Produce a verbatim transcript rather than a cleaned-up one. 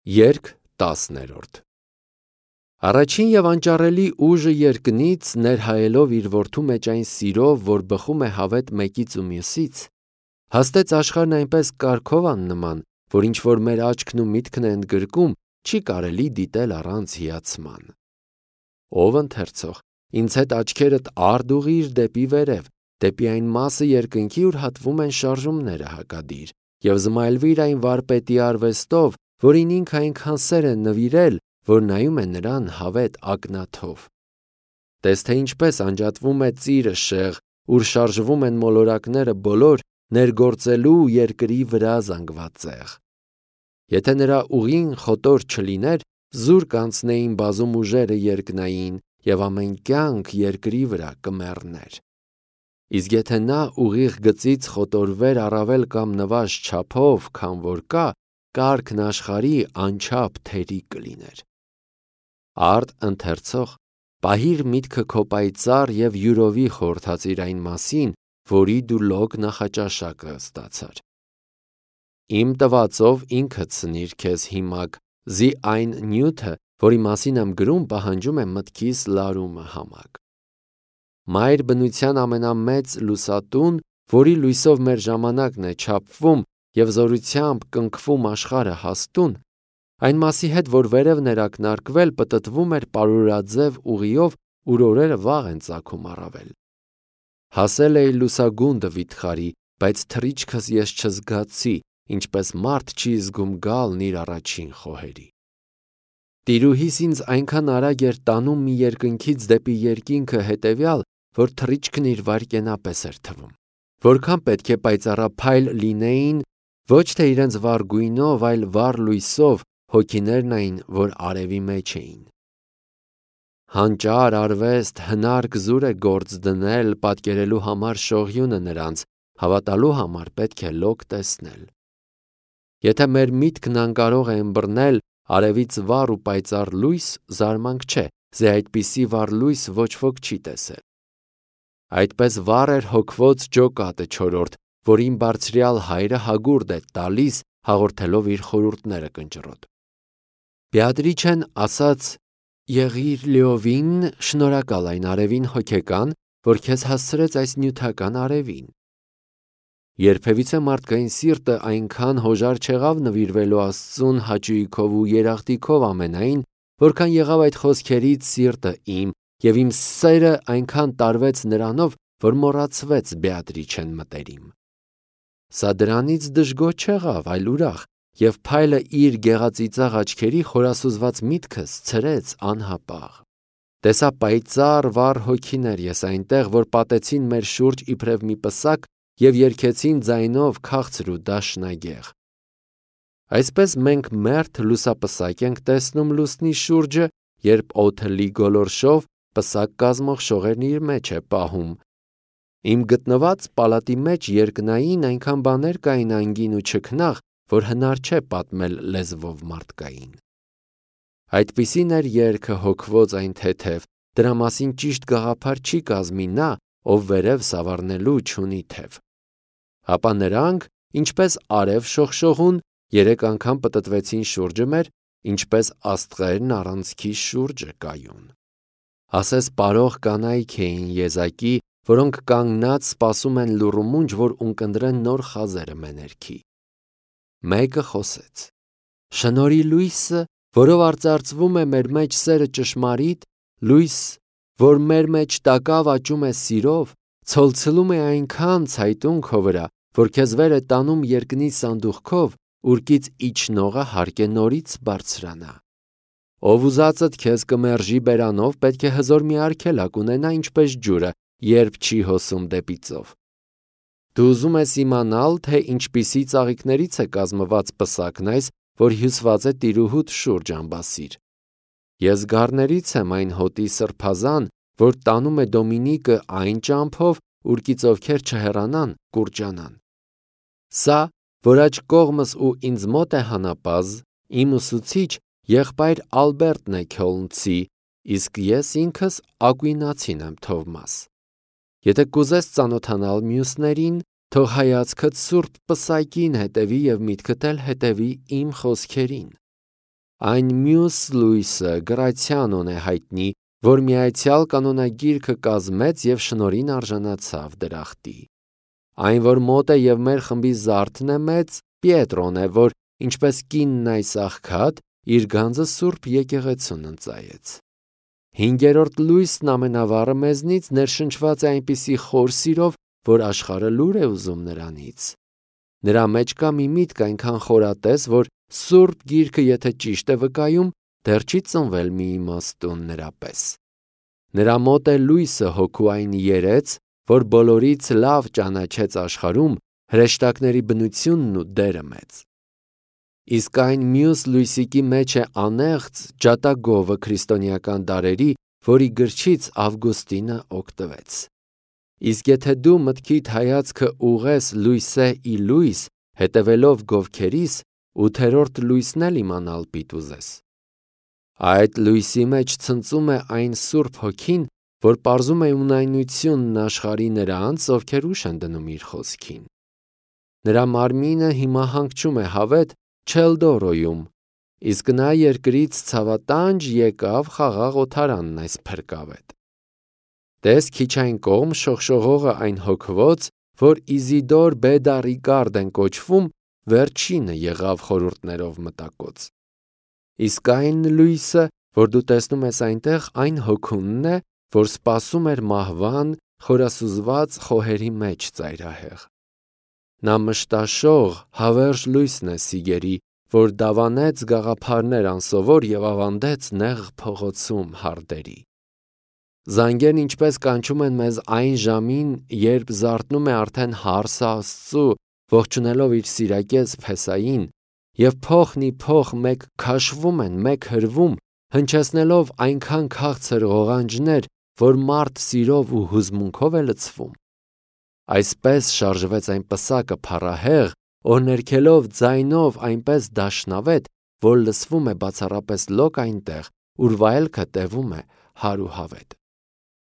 Երգ տասներորդ Առաջին և անճարելի ուժը երկնից, ներհայելով իր որդու մեջ այն սիրով, որ բխում է հավետ մեկից ու մյուսից, հաստեց աշխարհն այնպես կարգով աննման, որ ինչ-որ մեր աչքն ու միտքն է ընդգրկում, չի կարելի դիտել առանց հիացման։ Ով ընթերցող, ինձ հետ աչքերդ արդ ուղղիր դեպի վերև, դեպի այն մասը երկնքի, ուր հատվում են շարժումները հակադիր, և զմայլվիր այն վարպետի արվեստով, որին ինքը այնքան սեր է նվիրել, որ նայում է նրան հավետ ակնաթով։ Տես թե ինչպես անջատվում է ծիրը շեղ, ուր շարժվում են մոլորակները բոլոր, ներգործելու երկրի վրա զանգված ցեղ։ Եթե նրա ուղին խոտոր չլիներ, զուր կանցնեին բազում ուժերը երկնային, և ամեն կյանք երկրի վրա կմեռներ։ Իսկ եթե նա ուղիղ գծից խոտորվեր առավել կամ նվազ չափով, քան որ կա, կարգն աշխարհի անչափ թերի կլիներ։ Արդ ընթերցող, պահիր միտքը քո պայծառ և յուրովի խորհրդածիր այն մասին, որի դու լոկ նախաճաշակը ստացար։ Իմ տվածով ինքդ սնիր քեզ հիմակ, զի այն նյութը, որի մասին եմ գրում, պահանջում է մտքիս լարումը համակ։ Մայր բնության ամենամեծ լուսատուն, որի լույսով մեր ժամանակն է չափվում և զորությամբ կնքվում աշխարհը հաստուն, այն մասի հետ, որ վերևն էր ակնարկվել, պտտվում էր պարուրաձև ուղիով, ուր օրերը վաղ են ծագում առավել։ Հասել էի լուսագունդը վիթխարի, բայց թռիչքս ես չզգացի, ինչպես մարդ չի զգում գալն իր առաջին խոհերի։ Տիրուհիս ինձ այնքան արագ էր տանում մի երկնքից դեպի երկինքը հետևյալ, որ թռիչքն իր վայրկենապես էր թվում։ Որքան պետք է պայծառափայլ լինեին, ոչ թե իրենց վառ գույնով, այլ վառ լույսով, հոգիներն այն, որ արևի մեջ էին։ Հանճար արվեստ, հնարք զուր է գործ դնել, պատկերելու համար շողյունը նրանց, հավատալու համար պետք է լոկ տեսնել։ Եթե մեր միտքն անկարող է ըմբռնել արևից վառ ու պայծառ լույս, զարմանք չէ, զի այդպիսի վառ լույս ոչ ոք չի տեսել։ Այդպես վառ էր հոգվոց ջոկատը չորրորդ, որին բարձրյալ հայրը հագուրդ է տալիս, հաղորդելով իր խորհուրդները կնճռոտ։ Բեատրիչեն ասաց. «Եղիր լիովին շնորհակալ այն արևին հոգեկան, որ քեզ հասցրեց այս նյութական արևին»։ Երբևիցե մարդկային սիրտը այնքան հոժար չեղավ նվիրվելու Աստծուն հաճույքով ու երախտիկով ամենայն, որքան եղավ այդ խոսքերից սիրտը իմ, և իմ սերը այնքան տարվեց նրանով, որ մոռացվեց Բեատրիչեն մտերիմ։ Սա դրանից դժգոհ չեղավ, այլ ուրախ, և փայլը իր գեղածիծաղ աչքերի խորասուզված միտքս ցրեց անհապաղ։ Տեսա պայծառ վառ հոգիներ ես այնտեղ, որ պատեցին մեր շուրջ իբրև մի պսակ և երգեցին ձայնով քաղցր ու դաշնագեղ։ Այսպես մենք մերթ լուսապսակ ենք տեսնում լուսնի շուրջը, երբ օդը լի գոլորշով պսակ կազմող շողերն իր մեջ է պահում։ Իմ գտնված պալատի մեջ երկնային այնքան բաներ կային անգին ու չքնաղ, որ հնար չէ պատմել լեզվով մարդկային։ Այդպիսին էր երգը հոգվոց այն թեթև, դրա մասին ճիշտ գաղափար չի կազմի նա, ով վերև սավառնելու չունի թև։ Ապա նրանք, ինչպես արև շողշողուն, երեք անգամ պտտվեցին շուրջը մեր, ինչպես աստղերն առանցքի շուրջը կայուն։ Ասես պարող կանայք էին եզակի, որոնք կանգնած սպասում են լուռ ու մունջ, որ ունկնդրեն նոր խազերը մեներքի։ Մեկը խոսեց. «Շնորհի լույսը, որով արծարծվում է մեր մեջ սերը ճշմարիտ, լույս, որ մեր մեջ տակավ աճում է սիրով, ցոլցլում է այնքան ցայտուն քո վրա, որ քեզ վեր է տանում երկնի սանդուղքով, ուրկից իջնողը հարկ է նորից բարձրանա։ Ով ուզածդ քեզ կմերժի բերանով, պետք է հզոր մի արգելակ ունենա, ինչպես ջուրը, երբ չի հոսում դեպի ծով։ Դու ուզում ես իմանալ, թե ինչպիսի ծաղիկներից է կազմված պսակն այս, որ հյուսված է տիրուհուդ շուրջ ամբասիր։ Ես գառներից եմ այն հոտի սրբազան, որ տանում է Դոմինիկը այն ճամփով, ուրկից ովքեր չհեռանան, կուրջանան։ Սա, որ աջ կողմս ու ինձ մոտ է հանապազը, իմ ուսուցիչ, եղբայր Ալբերտն է Քյոլնցի, իսկ ես ինքս ակուինացին եմ Թովմաս։ Եթե կուզես ծանոթանալ մյուսներին, թող հայացքդ սուրբ պսակին հետևի և միտքդ էլ հետևի իմ խոսքերին։ Այն մյուս լույսը Գրացիանոն է հայտնի, որ միայցյալ կանոնագիրքը կազմեց և շնորհին արժանացավ դրախտի։ Այն, որ մոտ է և մեր խմբի զարդն է մեծ, Պիետրոն է, որ ինչպես կինն այս աղքատ, իր գանձը սուրբ եկեղեցուն ընծայեց։ Հինգերորդ լույսն ամենավառը մեզնից ներշնչված է այնպիսի խոր սիրով, որ աշխարհը լուր է ուզում նրանից։ Նրա մեջ կա մի միտք այնքան խորատես, որ Սուրբ Գիրքը եթե ճիշտ է վկայում, դեռ չի ծնվել մի իմաստուն նրա պես։ Նրա մոտ է լույսը հոգու այն երեց, որ բոլորից լավ ճանաչեց աշխարհում հրեշտակների բնությունն ու դերը մեծ։ Իսկ այն մյուս լույսիկի մեջ է անեղծ ջատագովը քրիստոնեական դարերի, որի գրչից Ավգուստինը օգտվեց։ Իսկ եթե դու մտքիդ հայացքը ուղես լույսե ի լույս, հետևելով գովքերիս, ութերորդ լույսն էլ իմանալ պիտի ուզես։ Այդ լույսի մեջ ցնծում է այն Սուրբ Հոգին, որ պարզում է ունայնությունն աշխարհի նրանց, ովքեր ուշ են դնում իր խոսքին։ Նրա մարմինը հիմա հանգչում է հավետ Չելդորոյում, իսկ նա երկրից ցավատանջ եկավ խաղաղ օթարանն այս փրկավետ։ Տես քիչ այն կողմ շողշողողը այն հոգվոց, որ Իզիդոր Բեդարիկարդ են կոչվում, վերջինը եղավ խորհուրդներով մտակոց։ Իսկ այն լույսը, որ դու տեսնում ես այնտեղ, այն հոգունն է, որ սպասում էր մահվան խորասուզված խոհերի մեջ ծայրահեղ։ Նա մշտաշող, հավերժ լույսն է Սիգերի, որ դավանեց գաղափարներ անսովոր և ավանդեց նեղ փողոցում հարդերի։ Զանգերն ինչպես կանչում են մեզ այն ժամին, երբ զարթնում է արդեն հարսը Աստծու, ողջունելով իր սիրակեց Փեսային, և փոխն ի փոխ մեկ քաշվում են, մեկ հրվում, հնչեցնելով այնքան քաղցր ղողանջներ, որ մարդ սիրով ու հուզմունքով է լցվում։ Այսպես շարժվեց այն պսակը փառահեղ, օրհներգելով ձայնով այնպես դաշնավետ, որ լսվում է բացառապես լոկ այնտեղ, ուր վայելքը տևում է հարուսավետ։